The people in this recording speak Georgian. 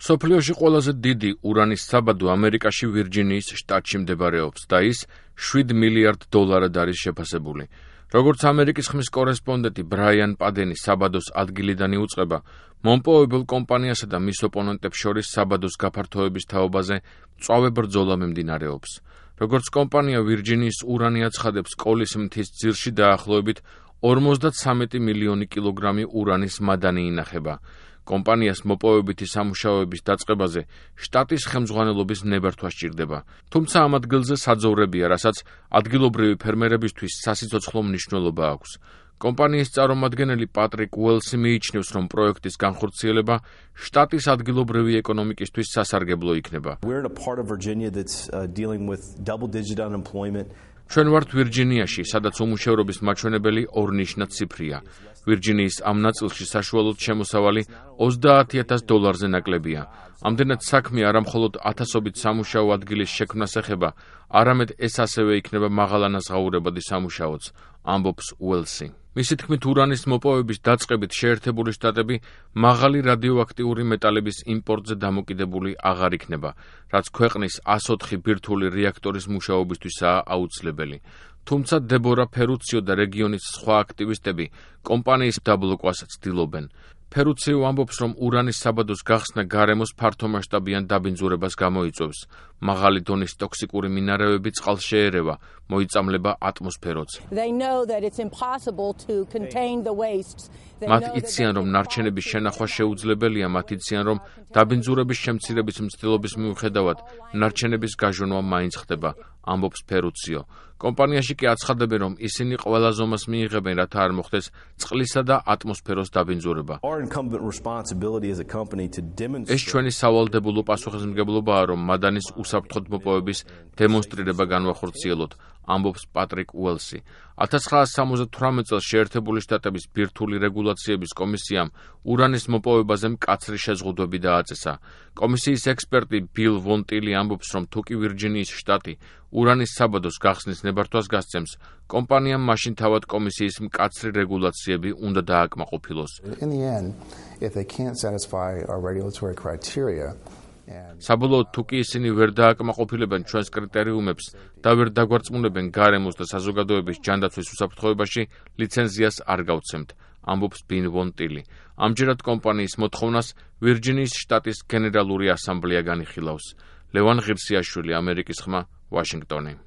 მსოფლიოში ყველაზე დიდი ურანის საბადო ამერიკაში ვირჯინიის შტატში მდებარეობს და ის $7 მილიარდ არის შეფასებული. როგორც ამერიკის ხმის კორესპონდენტი ბრაიან პადენი საბადოს ადგილიდან იუწყება, მომპოვებელ კომპანიასა და მის ოპონენტებს შორის საბადოს გაფართოების თაობაზე მწვავე ბრძოლა მიმდინარეობს. როგორც კომპანია ვირჯინიის ურანი აცხადებს, კოლის მთის ძირში დაახლოებით 53 მილიონი კილოგრამი ურანის მადანი ინახება. კომპანიას მოპოვებითი სამუშაოების დაწყებაზე შტატის ხელმძღვანელობის ნებართვა სჭირდება. თუმცა ამ ადგილზე საძოვრებია, რასაც ადგილობრივი ფერმერებისთვის სასიცოცხლო მნიშვნელობა აქვს. კომპანიის წარმომადგენელი პატრიკ უელსი მიიჩნევს, რომ პროექტის განხორციელება შტატის ადგილობრივი ეკონომიკისთვის სასარგებლო იქნება. ჩვენ ვართ ვირჯინიაში, სადაც უმუშევრობის მაჩვენებელი ორნიშნად ციფრია. ვირჯინიის ამ ნაწილში საშუალოდ შემოსავალი $30,000 ნაკლებია. ამდენად საქმე არა მხოლოდ ათასობით სამუშაო ადგილის შექმნას ეხება, არამედ ეს ასევე იქნება მაღალანაზღაურებადი სამუშაოც, ამბობს უელსი. მისი თქმით, ურანის მოპოვების დაწყებით შეერთებული შტატები მაღალი რადიოაქტიური მეტალების იმპორტზე დამოკიდებული აღარ იქნება, რაც ქვეყნის 104 ბირთვული რეაქტორის მუშაობისთვისაა აუცილებელი. თუმცა დებორა ფერუციო და რეგიონის სხვა აქტივისტები კომპანიის დაბლოკვას ცდილობენ. ფერუციო ამბობს, რომ ურანის საბადოს გახსნა გარემოს ფართომასშტაბიან დაბინძურებას გამოიწვევს. მაღალი დონის ტოქსიკური მინარევები წყალს შეერევა, მოიწამლება ატმოსფეროც. მათ იციან, რომ ნარჩენების შენახვა შეუძლებელია, მათ იციან, რომ დაბინძურების შემცირების მცდელობის მიუხედავად ნარჩენების გაჟონვა მაინც ხდება, ამბობს ფერუციო. კომპანიაში კი აცხადებენ, რომ ისინი ყველა ზომას მიიღებენ, რათა არ მოხდეს წყლისა და ატმოსფეროს დაბინძურება. ეს ჩვენი სავალდებულო პასუხისმგებლობაა, რომ მადანის უსაფრთხოდ მოპოვების დემონსტრირება განვახორციელოთ, ამბობს პატრიკ უელსი. 1978 წელს შეერთებული შტატების ბირთვული რეგულაციების კომისიამ ურანის მოპოვებაზე მკაცრი შეზღუდვები დააწესა. კომისიის ექსპერტი ბილ ვონ ტილი ამბობს, რომ თუკი ვირჯინიის შტატი ურანის საბადოს გახსნის ნებართვას გასცემს, კომპანიამ მაშინ თავად კომისიის მკაცრი რეგულაციები უნდა დააკმაყოფილოს. საბოლოოდ, თუკი ისინი ვერ დააკმაყოფილებენ ჩვენს კრიტერიუმებს და ვერ დაგვარწმუნებენ გარემოს და საზოგადოების ჯანდაცვის უსაფრთხოებაში, ლიცენზიას არ გავცემთ, ამბობს ბილ ვონ ტილი. ამჯერად კომპანიის მოთხოვნას ვირჯინიის შტატის გენერალური ასამბლეა განიხილავს. ლევან ღირსიაშვილი, ამერიკის ხმა, ვაშინგტონი.